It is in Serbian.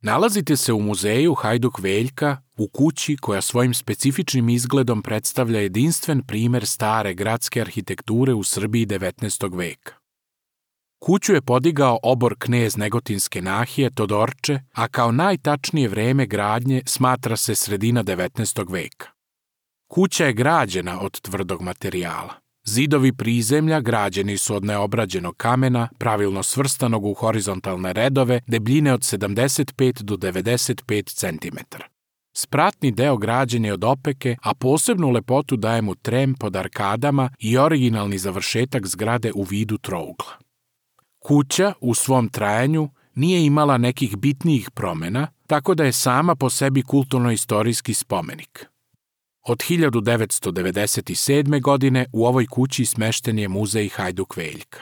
Nalazite se u muzeju Hajduk Veljka, u kući koja svojim specifičnim izgledom predstavlja jedinstven primer stare gradske arhitekture u Srbiji 19. veka. Kuću je podigao obor knez Negotinske nahije Todorče, a kao najtačnije vreme gradnje smatra se sredina 19. veka. Kuća je građena od tvrdog materijala. Zidovi prizemlja građeni su od neobrađenog kamena, pravilno svrstanog u horizontalne redove, debljine od 75 do 95 cm. Spratni deo građen je od opeke, a posebnu lepotu daje mu trem pod arkadama i originalni završetak zgrade u vidu trougla. Kuća u svom trajanju nije imala nekih bitnijih promena, tako da je sama po sebi kulturno-istorijski spomenik. Od 1997. godine u ovoj kući smešten je muzej Hajduk Veljka.